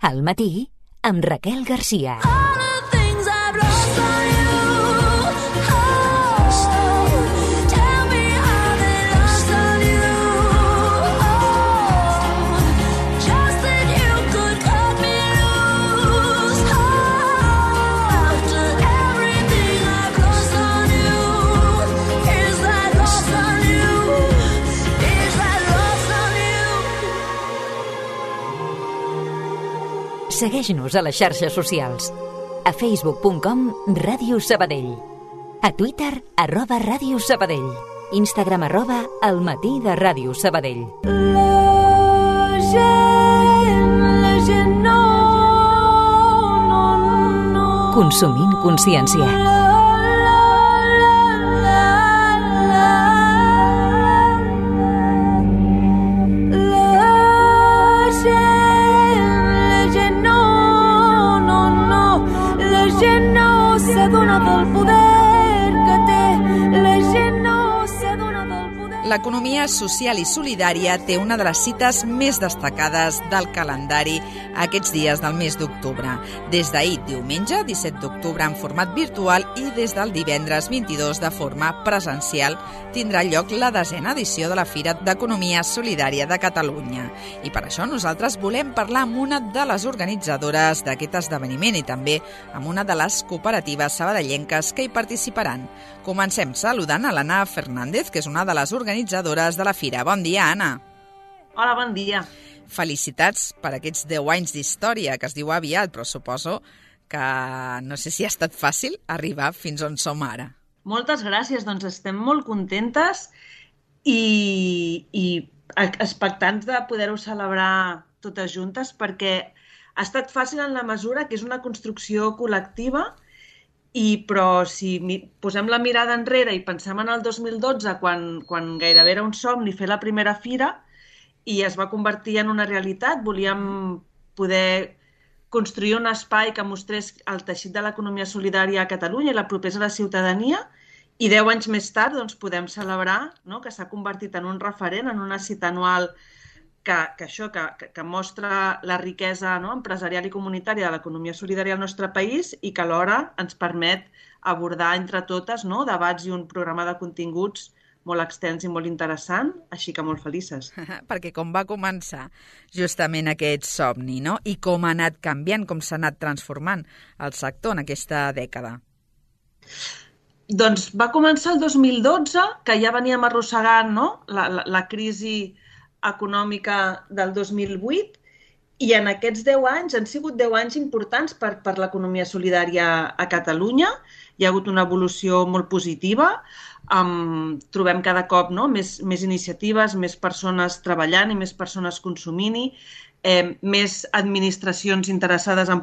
Al matí, amb Raquel Garcia. Segueix-nos a les xarxes socials. A facebook.com/Ràdio Sabadell. A Twitter @Ràdio Sabadell. Instagram @El matí de Ràdio Sabadell. Consumint consciència. L'economia social i solidària té una de les cites més destacades del calendari aquests dies del mes d'octubre. Des d'ahir, diumenge, 17 d'octubre, en format virtual, i des del divendres 22 de forma presencial, tindrà lloc la 10ª edició de la Fira d'Economia Solidària de Catalunya. I per això nosaltres volem parlar amb una de les organitzadores d'aquest esdeveniment i també amb una de les cooperatives sabadellenques que hi participaran. Comencem saludant a l'Anna Fernández, que és una de les organitzadores de la Fira. Bon dia, Anna. Hola, bon dia. Felicitats per aquests 10 anys d'història, que es diu aviat, però suposo que no sé si ha estat fàcil arribar fins on som ara. Moltes gràcies, doncs estem molt contentes i expectants de poder-ho celebrar totes juntes, perquè ha estat fàcil en la mesura que és una construcció col·lectiva, però si posem la mirada enrere i pensem en el 2012, quan gairebé era un somni fer la primera fira i es va convertir en una realitat, volíem poder construir un espai que mostrés el teixit de l'economia solidària a Catalunya i la propera a la ciutadania, i 10 anys més tard doncs, podem celebrar, no?, que s'ha convertit en un referent, en una cita anual que mostra la riquesa, no?, empresarial i comunitària de l'economia solidària al nostre país i que alhora ens permet abordar entre totes, no?, debats i un programa de continguts molt extens i molt interessant, així que molt felices. Perquè com va començar justament aquest somni, no?, i com ha anat canviant, com s'ha anat transformant el sector en aquesta dècada? Doncs va començar el 2012, que ja veníem arrossegant, no?, la crisi econòmica del 2008, i en aquests 10 anys han sigut 10 anys importants per l'economia solidària a Catalunya. Hi ha hagut una evolució molt positiva, trobem cada cop, no?, més iniciatives, més persones treballant i més persones consumint-hi, més administracions interessades en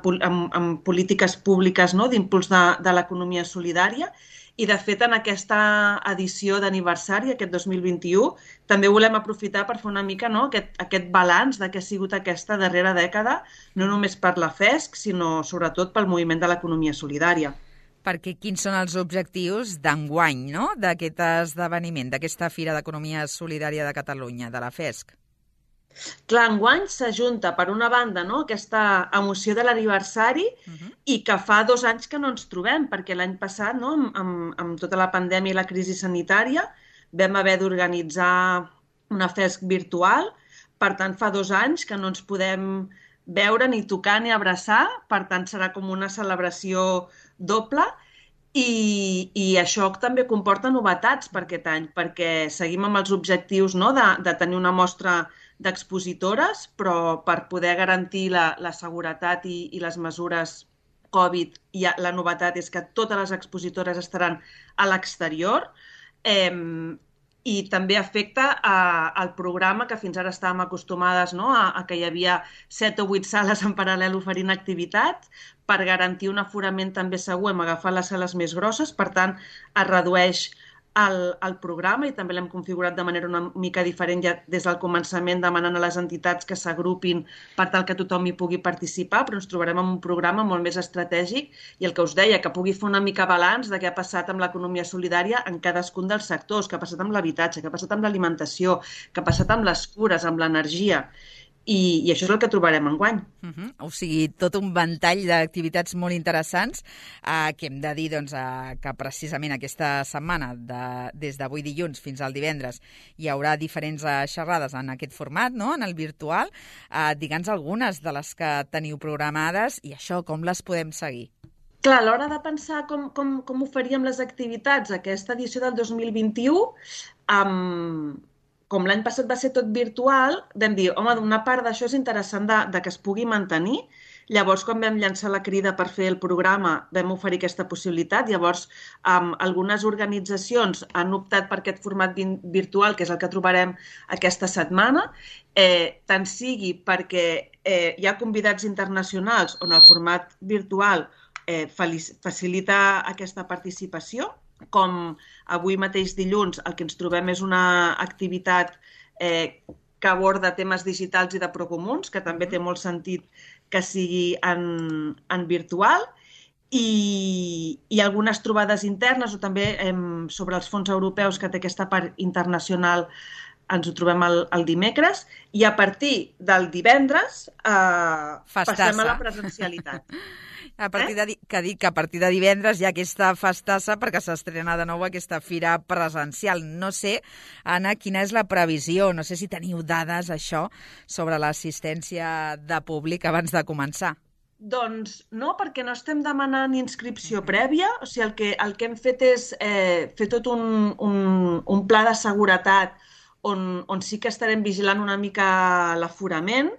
polítiques públiques, no?, d'impuls de l'economia solidària. I, de fet, en aquesta edició d'aniversari, aquest 2021, també volem aprofitar per fer una mica, no?, aquest balanç de què ha sigut aquesta darrera dècada, no només per la FESC, sinó sobretot pel moviment de l'economia solidària. Perquè quins són els objectius d'enguany, no?, d'aquest esdeveniment, d'aquesta Fira d'Economia Solidària de Catalunya, de la FESC? Clar, enguany s'ajunta, per una banda, no?, aquesta emoció de l'aniversari i que fa 2 anys que no ens trobem, perquè l'any passat, no?, amb tota la pandèmia i la crisi sanitària, vam haver d'organitzar una FESC virtual. Per tant, fa 2 anys que no ens podem veure, ni tocar, ni abraçar. Per tant, serà com una celebració doble. I això també comporta novetats per aquest any, perquè seguim amb els objectius, no?, de tenir una mostra d'expositores, però per poder garantir la seguretat i les mesures Covid, la novetat és que totes les expositores estaran a l'exterior, i també afecta el programa, que fins ara estàvem acostumades, no?, a que hi havia 7 o 8 sales en paral·lel oferint activitats. Per garantir un aforament també segur hem agafat les sales més grosses, per tant es redueix el programa i també l'hem configurat de manera una mica diferent ja des del començament, demanant a les entitats que s'agrupin per tal que tothom hi pugui participar, però ens trobarem amb un programa molt més estratègic i el que us deia, que pugui fer una mica balanç de què ha passat amb l'economia solidària en cadascun dels sectors, què ha passat amb l'habitatge, què ha passat amb l'alimentació, què ha passat amb les cures, amb l'energia. i això és el que trobarem enguany. O sigui, tot un ventall d'activitats molt interessants que hem de dir que precisament aquesta setmana, des d'avui dilluns fins al divendres, hi haurà diferents xerrades en aquest format, no?, en el virtual. Digue'ns algunes de les que teniu programades i això, com les podem seguir? Clar, a l'hora de pensar com ho faríem les activitats aquesta edició del 2021, com l'any passat va ser tot virtual, vam dir, home, una part d'això és interessant de que es pugui mantenir. Llavors, quan vam llançar la crida per fer el programa, vam oferir aquesta possibilitat. Llavors, algunes organitzacions han optat per aquest format virtual, que és el que trobarem aquesta setmana, tant sigui perquè hi ha convidats internacionals on el format virtual facilita aquesta participació, com avui mateix dilluns el que ens trobem és una activitat que aborda temes digitals i de procomuns, que també té molt sentit que sigui en virtual, i algunes trobades internes o també sobre els fons europeus, que té aquesta part internacional, ens ho trobem el dimecres, i a partir del divendres passem a la presencialitat. A partir de divendres hi ha aquesta festassa perquè s'estrena de nou aquesta fira presencial. No sé, Anna, quina és la previsió? No sé si teniu dades, això, sobre l'assistència de públic abans de començar. Doncs no, perquè no estem demanant inscripció prèvia. O sigui, el que hem fet és fer tot un pla de seguretat on sí que estarem vigilant una mica l'aforament,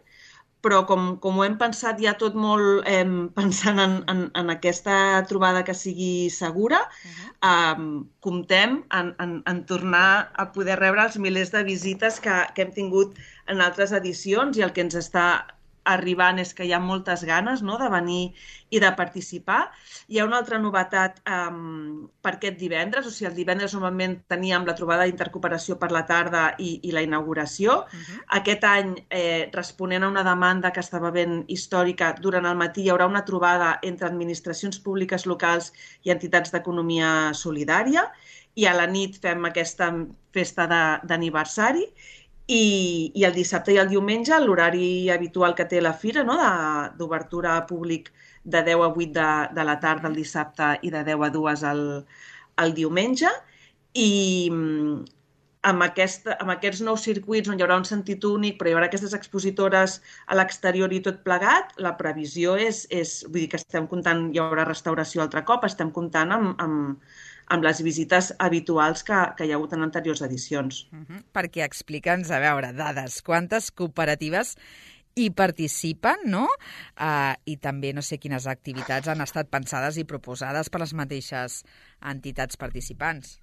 però com ho hem pensat ja tot molt pensant en aquesta trobada que sigui segura, comptem en tornar a poder rebre els milers de visites que hem tingut en altres edicions, i el que ens està arribant és que hi ha moltes ganes, no?, de venir i de participar. Hi ha una altra novetat per aquest divendres, o sigui, el divendres normalment teníem la trobada d'intercooperació per la tarda i la inauguració. Aquest any, responent a una demanda que estava ben històrica, durant el matí hi haurà una trobada entre administracions públiques locals i entitats d'economia solidària, i a la nit fem aquesta festa d'aniversari. I el dissabte i el diumenge, l'horari habitual que té la fira, no?, d'obertura a públic de 10 a 8 de la tarda el dissabte i de 10 a 2 el diumenge. I amb aquests nous circuits on hi haurà un sentit únic, però hi haurà aquestes expositores a l'exterior i tot plegat, la previsió és vull dir que estem comptant, hi haurà restauració altre cop, estem comptant amb les visites habituals que hi ha hagut en anteriors edicions. Perquè explica'ns, a veure, dades, quantes cooperatives hi participen, no? I també no sé quines activitats han estat pensades i proposades per les mateixes entitats participants.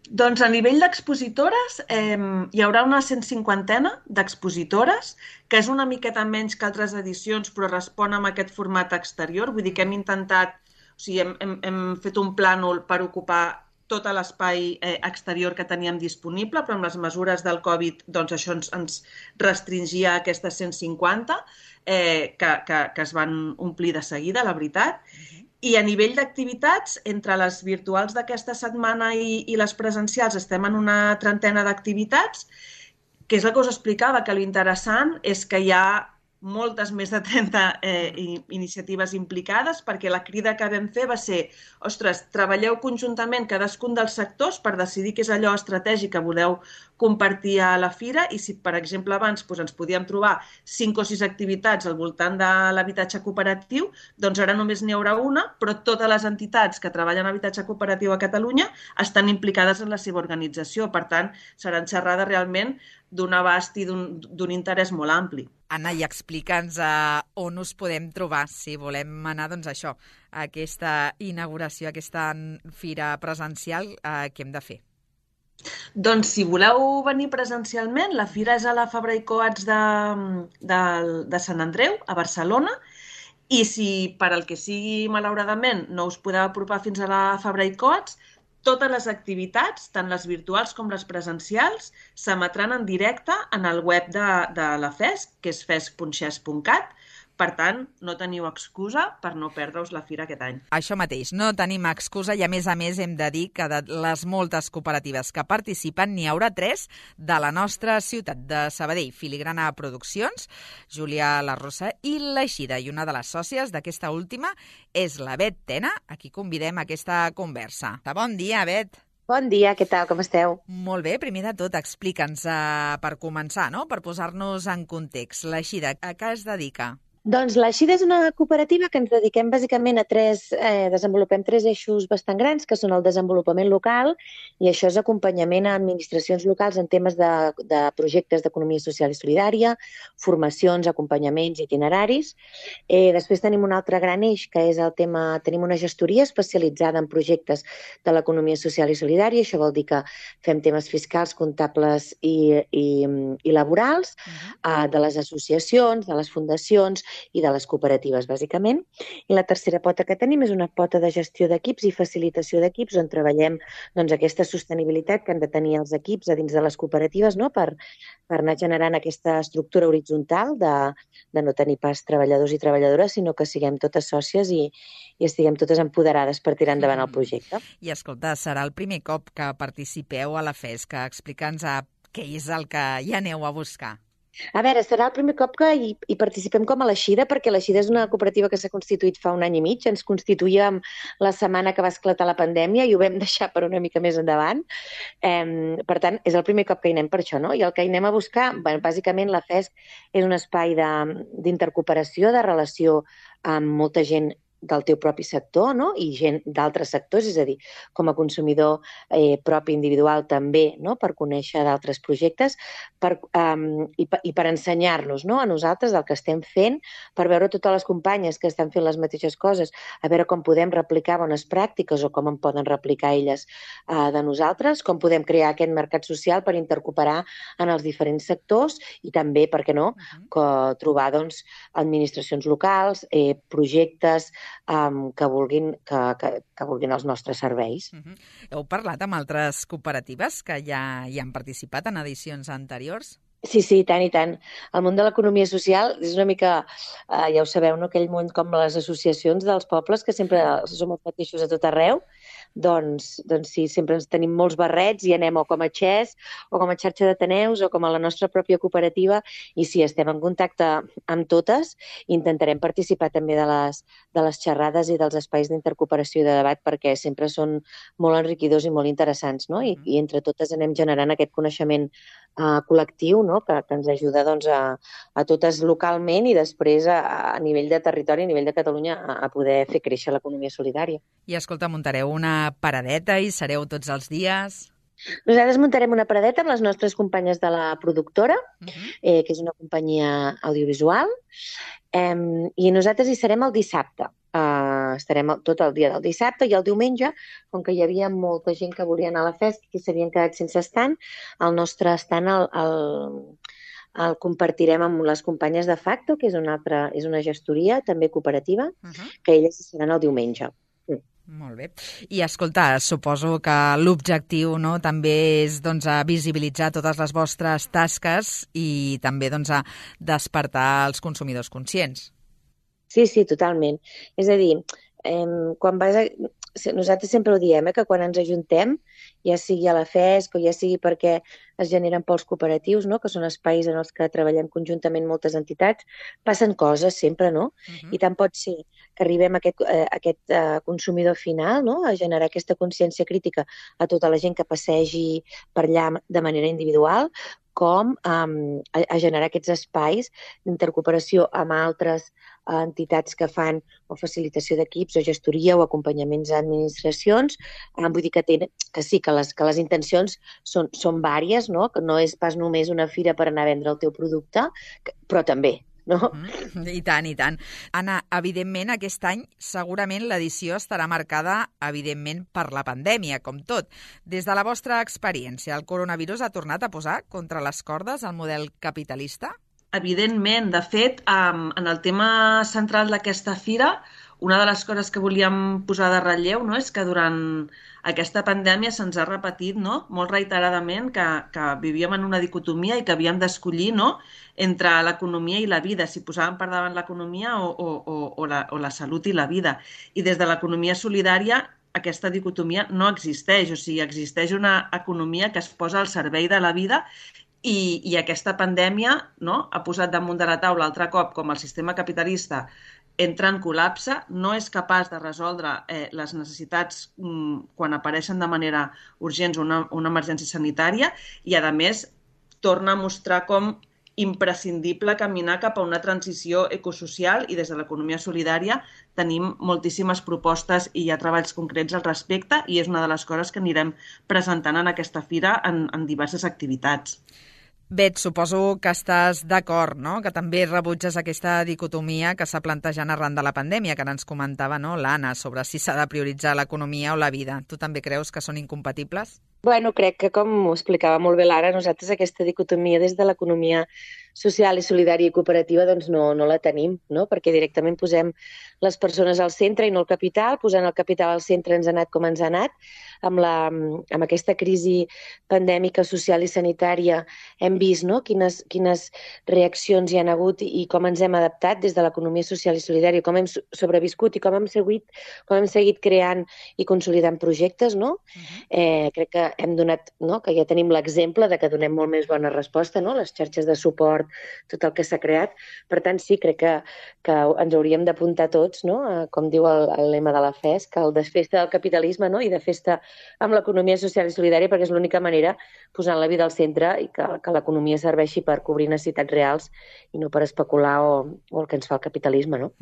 Doncs a nivell d'expositores hi haurà una 150 d'expositores, que és una miqueta menys que altres edicions, però respon a aquest format exterior. Vull dir que hem intentat, o sigui, hem fet un plànol per ocupar tot l'espai exterior que teníem disponible, però amb les mesures del Covid doncs això ens restringia a aquestes 150 que es van omplir de seguida, la veritat. I a nivell d'activitats, entre les virtuals d'aquesta setmana i les presencials estem en una 30 d'activitats, que és el que us explicava, que l'interessant és que hi ha moltes més de 30 iniciatives implicades, perquè la crida que vam fer va ser, ostres, treballeu conjuntament cadascun dels sectors per decidir què és allò estratègic que voleu compartir a la fira, i si, per exemple, abans ens podíem trobar 5 o 6 activitats al voltant de l'habitatge cooperatiu, doncs ara només n'hi haurà una, però totes les entitats que treballen en habitatge cooperatiu a Catalunya estan implicades en la seva organització. Per tant, seran xerrades realment d'un abast i d'un interès molt ampli. Anna, i explica'ns on us podem trobar, si volem anar, doncs això, a aquesta inauguració, a aquesta fira presencial, què hem de fer? Doncs si voleu venir presencialment, la fira és a la Fabra i Coats de Sant Andreu, a Barcelona, i si per al que sigui, malauradament, no us podeu apropar fins a la Fabra i Coats, totes les activitats, tant les virtuals com les presencials, s'emetran en directe en el web de la FESC, que és fesc.xes.cat, Per tant, no teniu excusa per no perdre-us la fira aquest any. Això mateix, no tenim excusa i a més hem de dir que de les moltes cooperatives que participen n'hi haurà 3 de la nostra ciutat de Sabadell, Filigrana Produccions, Júlia Larrosa i l'Eixida. I una de les sòcies d'aquesta última és la Bet Tena, a qui convidem a aquesta conversa. Bon dia, Bet. Bon dia, què tal, com esteu? Molt bé, primer de tot explica'ns per començar, no? Per posar-nos en context. L'Eixida, a què es dedica? Doncs l'Eixida és una cooperativa que ens dediquem bàsicament a desenvolupem 3 eixos bastant grans, que són el desenvolupament local, i això és acompanyament a administracions locals en temes de projectes d'economia social i solidària, formacions, acompanyaments, itineraris. Després tenim un altre gran eix, que és tenim una gestoria especialitzada en projectes de l'economia social i solidària. Això vol dir que fem temes fiscals, comptables i laborals, de les associacions, de les fundacions i de les cooperatives, bàsicament. I la tercera pota que tenim és una pota de gestió d'equips i facilitació d'equips, on treballem aquesta sostenibilitat que han de tenir els equips a dins de les cooperatives, no? Per anar generant aquesta estructura horitzontal de no tenir pas treballadors i treballadores, sinó que siguem totes sòcies i estiguem totes empoderades per tirar endavant el projecte. I escolta, serà el primer cop que participeu a la FESC. Explica'ns què és el que hi aneu a buscar. A veure, serà el primer cop que hi participem com a l'Eixida, perquè l'Eixida és una cooperativa que s'ha constituït fa 1 any i mig. Ens constituïem la setmana que va esclatar la pandèmia i ho vam deixar per una mica més endavant. Per tant, és el primer cop que hi anem per això, no? I el que hi anem a buscar, bàsicament la FESC és un espai d'intercooperació, de relació amb molta gent del teu propi sector, no? I gent d'altres sectors, és a dir, com a consumidor propi individual també, no? Per conèixer d'altres projectes i per ensenyar-nos, no? A nosaltres el que estem fent, per veure totes les companyes que estan fent les mateixes coses, a veure com podem replicar bones pràctiques o com en poden replicar elles de nosaltres, com podem crear aquest mercat social per intercooperar en els diferents sectors i també, per què no, trobar administracions locals, projectes que vulguin els nostres serveis. Heu parlat amb altres cooperatives que ja hi han participat en edicions anteriors? Sí, tant i tant. El món de l'economia social és una mica, ja ho sabeu, no? Aquell món com les associacions dels pobles, que sempre som els mateixos a tot arreu. Doncs sí, sempre ens tenim molts barrets i anem o com a XES o com a xarxa d'ateneus o com a la nostra pròpia cooperativa i sí, estem en contacte amb totes i intentarem participar també de les xerrades i dels espais d'intercooperació i de debat perquè sempre són molt enriquidors i molt interessants, no? I entre totes anem generant aquest coneixement col·lectiu, no? Que ens ajuda a totes localment i després a nivell de territori, a nivell de Catalunya, a poder fer créixer l'economia solidària. I escolta, muntareu una paradeta i sereu tots els dies? Nosaltres muntarem una paradeta amb les nostres companyes de la productora, que és una companyia audiovisual, i nosaltres hi serem el dissabte. Estarem tot el dia del dissabte i el diumenge, com que hi havia molta gent que volia anar a la FESC i s'havien quedat sense estant, el nostre estant el compartirem amb les companyes de Facto, que és una gestoria també cooperativa, que elles hi seran el diumenge. Molt bé. I escolta, suposo que l'objectiu també és visibilitzar totes les vostres tasques i també despertar els consumidors conscients. Sí, totalment. És a dir, nosaltres sempre ho diem, que quan ens ajuntem, ja sigui a la FESC o ja sigui perquè es generen pols cooperatius, no? Que són espais en els que treballem conjuntament moltes entitats, passen coses sempre, no? I tant pot ser que arribem a aquest consumidor final, no? A generar aquesta consciència crítica a tota la gent que passegi per allà de manera individual, com a generar aquests espais d'intercooperació amb altres entitats que fan o facilitació d'equips o gestoria o acompanyaments a administracions. Vull dir que sí, que les intencions són vàries, no? Que no és pas només una fira per anar a vendre el teu producte, però també, no? I tant, i tant. Anna, evidentment, aquest any segurament l'edició estarà marcada, evidentment, per la pandèmia, com tot. Des de la vostra experiència, el coronavirus ha tornat a posar contra les cordes el model capitalista? Evidentment. De fet, en el tema central d'aquesta fira, una de les coses que volíem posar de relleu, no, és que durant aquesta pandèmia se'ns ha repetit, no, molt reiteradament que vivíem en una dicotomia i que havíem d'escollir, no, entre l'economia i la vida, si posàvem per davant l'economia o la salut i la vida. I des de l'economia solidària aquesta dicotomia no existeix, o sigui, existeix una economia que es posa al servei de la vida i aquesta pandèmia, no, ha posat damunt de la taula altre cop com el sistema capitalista entra en col·lapse, no és capaç de resoldre les necessitats quan apareixen de manera urgent una emergència sanitària i, a més, torna a mostrar com imprescindible caminar cap a una transició ecosocial i des de l'economia solidària tenim moltíssimes propostes i hi ha treballs concrets al respecte i és una de les coses que anirem presentant en aquesta fira en diverses activitats. Bet, suposo que estàs d'acord, no?, que també rebutges aquesta dicotomia que s'ha plantejat arran de la pandèmia, que ara ens comentava, no, l'Anna, sobre si s'ha de prioritzar l'economia o la vida. Tu també creus que són incompatibles? Bueno, crec que, com ho explicava molt bé l'Ara, nosaltres aquesta dicotomia des de l'economia social i solidària i cooperativa doncs no la tenim, no? Perquè directament posem les persones al centre i no el capital. Posant el capital al centre ens ha anat com ens ha anat. Amb aquesta crisi pandèmica social i sanitària hem vist, no?, quines reaccions hi han hagut i com ens hem adaptat des de l'economia social i solidària, com hem sobreviscut i com hem seguit creant i consolidant projectes, no? Crec que hem donat, no?, que ja tenim l'exemple de que donem molt més bona resposta, no?, les xarxes de suport, tot el que s'ha creat. Per tant, sí, crec que ens hauríem d'apuntar tots, no?, com diu el lema de la FES, que el de festa del capitalisme, no?, i de festa amb l'economia social i solidària, perquè és l'única manera posant la vida al centre i que l'economia serveixi per cobrir necessitats reals i no per especular o el que ens fa el capitalisme, no?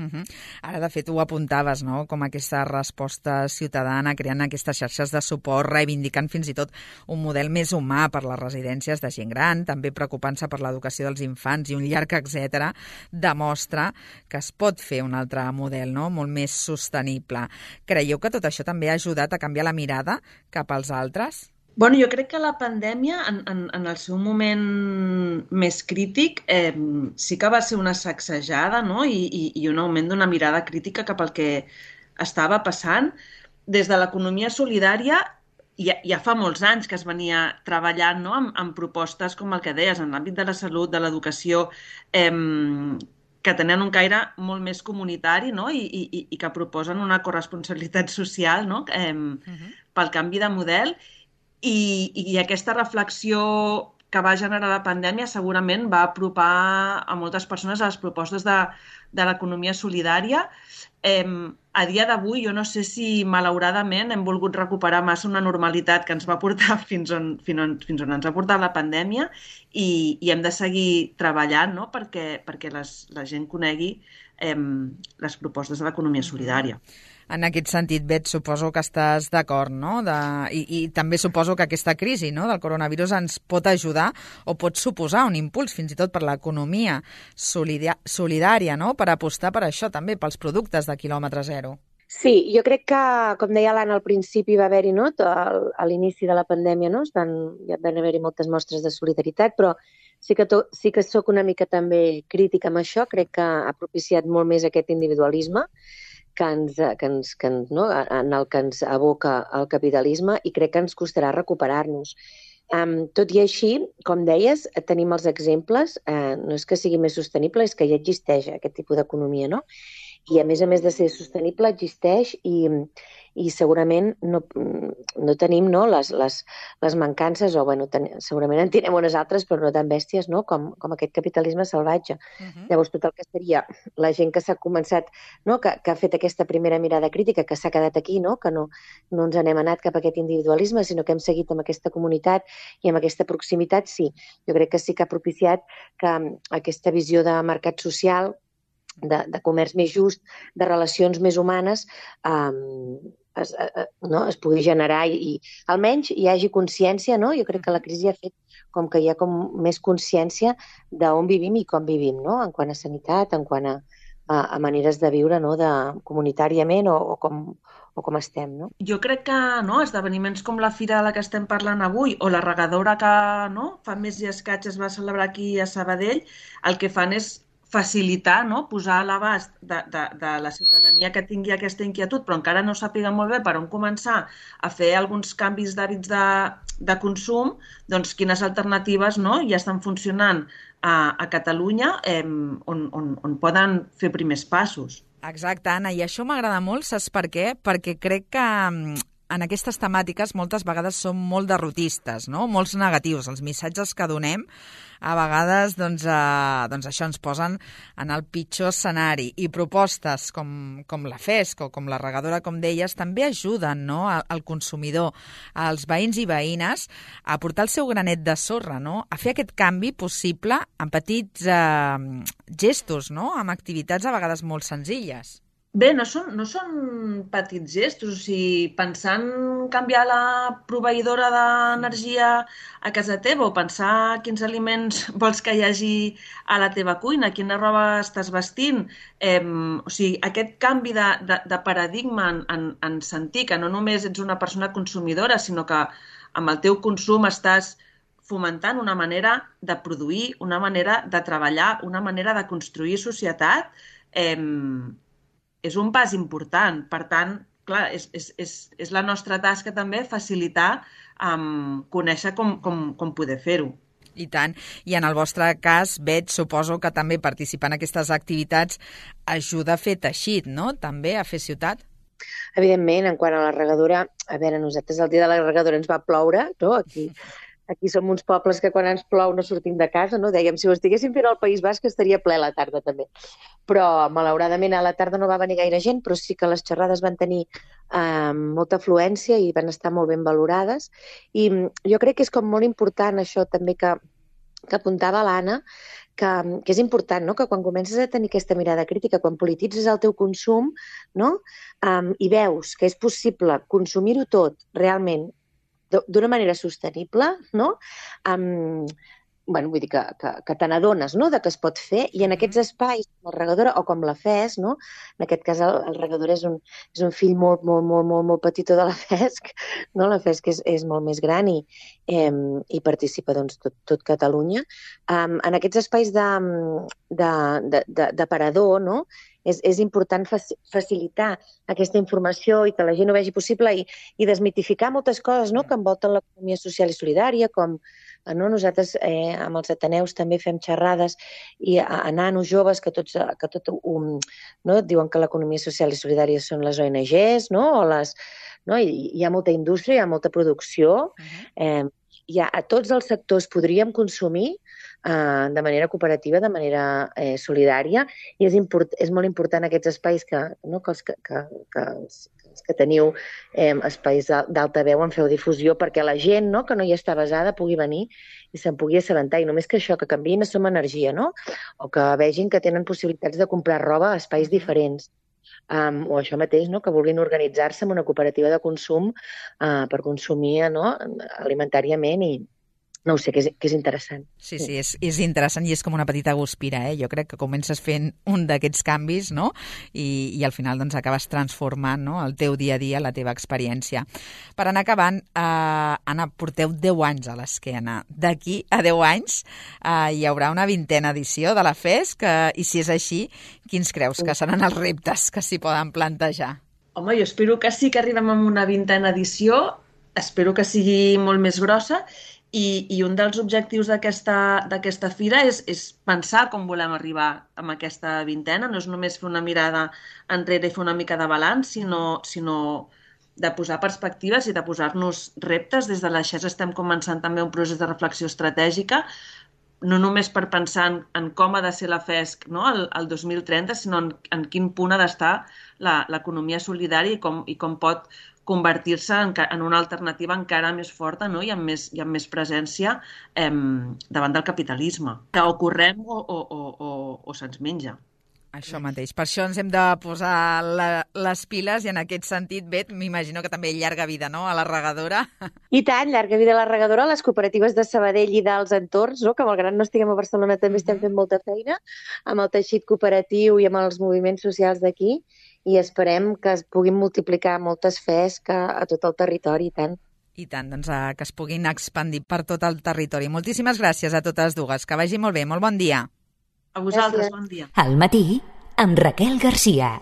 Ara, de fet, ho apuntaves, no?, com aquesta resposta ciutadana, creant aquestes xarxes de suport, reivindicant fins i tot un model més humà per les residències de gent gran, també preocupant-se per l'educació dels infants i un llarg etcètera, demostra que es pot fer un altre model, no?, molt més sostenible. Creieu que tot això també ha ajudat a canviar la mirada cap als altres? Bueno, jo crec que la pandèmia, en el seu moment més crític, sí que va ser una sacsejada, no?, i un augment d'una mirada crítica cap al que estava passant. Des de l'economia solidària ja fa molts anys que es venia treballant, no?, amb propostes com el que deies, en l'àmbit de la salut, de l'educació, que tenen un caire molt més comunitari, no?, i que proposen una corresponsabilitat social, no?, pel canvi de model. I aquesta reflexió que va generar la pandèmia segurament va apropar a moltes persones a les propostes de l'economia solidària. A dia d'avui, jo no sé si malauradament hem volgut recuperar massa una normalitat que ens va portar fins on ens ha portat la pandèmia i hem de seguir treballant, no?, perquè la gent conegui les propostes de l'economia solidària. En aquest sentit, Bet, suposo que estàs d'acord, no? I també suposo que aquesta crisi, no?, del coronavirus ens pot ajudar o pot suposar un impuls fins i tot per l'economia solidària, no?, per apostar per això també, pels productes de quilòmetre zero. Sí, jo crec que, com deia l'Anna al principi, va haver-hi, no?, a l'inici de la pandèmia, no?, ja van haver-hi moltes mostres de solidaritat, però sí que soc una mica també crítica amb això. Crec que ha propiciat molt més aquest individualisme en el que ens aboca el capitalisme i crec que ens costarà recuperar-nos. Tot i així, com deies, tenim els exemples, no és que sigui més sostenible, és que ja existeix aquest tipus d'economia, no? I a més de ser sostenible, existeix i segurament no tenim, no, les mancances, o bueno, segurament en tenim unes altres, però no tan bèsties, no?, com aquest capitalisme salvatge. Llavors, tot el que seria la gent que s'ha començat, no?, que ha fet aquesta primera mirada crítica, que s'ha quedat aquí, no?, que no ens n'hem anat cap a aquest individualisme, sinó que hem seguit amb aquesta comunitat i amb aquesta proximitat, sí. Jo crec que sí que ha propiciat que aquesta visió de mercat social, de comerç més just, de relacions més humanes, es pugui generar i almenys hi hagi consciència, no? Jo crec que la crisi ha fet com que hi ha com més consciència d'on vivim i com vivim, no?, en quant a sanitat, en quant a maneres de viure, no?, comunitàriament o com estem, no? Jo crec que, no, esdeveniments com la fira de la que estem parlant avui o la regadora que, no, fa mes i escaig es va celebrar aquí a Sabadell, el que fan és facilitar, no? Posar a l'abast de la ciutadania que tingui aquesta inquietud, però encara no sàpiga molt bé per on començar a fer alguns canvis d'hàbits de consum, doncs quines alternatives, no? Ja estan funcionant a Catalunya on poden fer primers passos. Exacte, Anna, i això m'agrada molt, saps per què? Perquè crec que en aquestes temàtiques moltes vegades som molt derrotistes, no? Molts negatius. Els missatges que donem a vegades doncs això ens posen en el pitjor escenari. I propostes com la FESC o com la regadora, com deies, també ajuden, no, al consumidor, als veïns i veïnes, a portar el seu granet de sorra, no? A fer aquest canvi possible amb petits gestos, no? Amb activitats a vegades molt senzilles. Bé, no són petits gestos, o sigui, pensar en canviar la proveïdora d'energia a casa teva o pensar quins aliments vols que hi hagi a la teva cuina, quina roba estàs vestint. O sigui, aquest canvi de paradigma en sentir que no només ets una persona consumidora, sinó que amb el teu consum estàs fomentant una manera de produir, una manera de treballar, una manera de construir societat, és un pas important. Per tant, clar, és la nostra tasca també facilitar, conèixer com poder fer-ho. I tant. I en el vostre cas, veig, suposo que també participar en aquestes activitats ajuda a fer teixit, no? També a fer ciutat? Evidentment, en quant a la regadora, a veure, nosaltres el dia de la regadora ens va ploure, no? Aquí som uns pobles que quan ens plou no sortim de casa, no? Dèiem, si ho estiguéssim fent al País Basc estaria ple a la tarda també. Però, malauradament, a la tarda no va venir gaire gent, però sí que les xerrades van tenir molta afluència i van estar molt ben valorades. I jo crec que és com molt important això també que apuntava l'Anna, que és important, no? Que quan comences a tenir aquesta mirada crítica, quan polititzes el teu consum, no? I veus que és possible consumir-ho tot realment d'una manera sostenible, no? Bueno, vull dir que te n'adones, no?, de que es pot fer, i en aquests espais, com la regadora o com la FESC, no? En aquest cas el regador és un fill molt, molt, molt, molt, molt petitó de la FESC, no? La FESC és molt més gran i participa doncs, tot Catalunya. En aquests espais d'aparador, no?, és important facilitar aquesta informació i que la gent ho vegi possible i desmitificar moltes coses, no?, que envolten l'economia social i solidària, com nosaltres amb els Ateneus també fem xerrades i a nanos joves que diuen que l'economia social i solidària són les ONGs, no? Hi ha molta indústria, hi ha molta producció, a tots els sectors podríem consumir de manera cooperativa, de manera solidària, i és molt important aquests espais que teniu espais d'altaveu en feu difusió perquè la gent que no hi està basada pugui venir i se'n pugui assabentar, i només que això, que canviïn a Som Energia, no? O que vegin que tenen possibilitats de comprar roba a espais diferents. O això mateix, no? Que vulguin organitzar-se en una cooperativa de consum per consumir alimentàriament i no ho sé, que és interessant. Sí, és interessant i és com una petita guspira, Jo crec que comences fent un d'aquests canvis, no? I al final doncs acabes transformant, no?, el teu dia a dia, la teva experiència. Per anar acabant, Anna, porteu 10 anys a l'esquena. D'aquí a 10 anys hi haurà una 20a edició de la FESC i si és així, quins creus que seran els reptes que s'hi poden plantejar? Home, jo espero que sí que arribem a una 20a edició, espero que sigui molt més grossa. I un dels objectius d'aquesta fira és pensar com volem arribar amb aquesta 20a. No és només fer una mirada enrere i fer una mica de balanç, sinó de posar perspectives i de posar-nos reptes. Des de la XES estem començant també un procés de reflexió estratègica, no només per pensar en com ha de ser la FESC, no?, el 2030, sinó en quin punt ha d'estar l'economia solidària i com pot convertir-se en una alternativa encara més forta, no?, i amb més presència davant del capitalisme, que o correm o se'ns menja. Això mateix. Per això ens hem de posar les piles i en aquest sentit, Bet, m'imagino que també llarga vida, no?, a la regadora. I tant, llarga vida a la regadora, a les cooperatives de Sabadell i dels entorns, no?, que malgrat no estiguem a Barcelona també estem fent molta feina amb el teixit cooperatiu i amb els moviments socials d'aquí, i esperem que es puguin multiplicar moltes FESC a tot el territori, i tant. I tant, doncs que es puguin expandir per tot el territori. Moltíssimes gràcies a totes dues. Que vagi molt bé. Molt bon dia. A vosaltres, Gràcies. bon dia. Al matí, amb Raquel Garcia.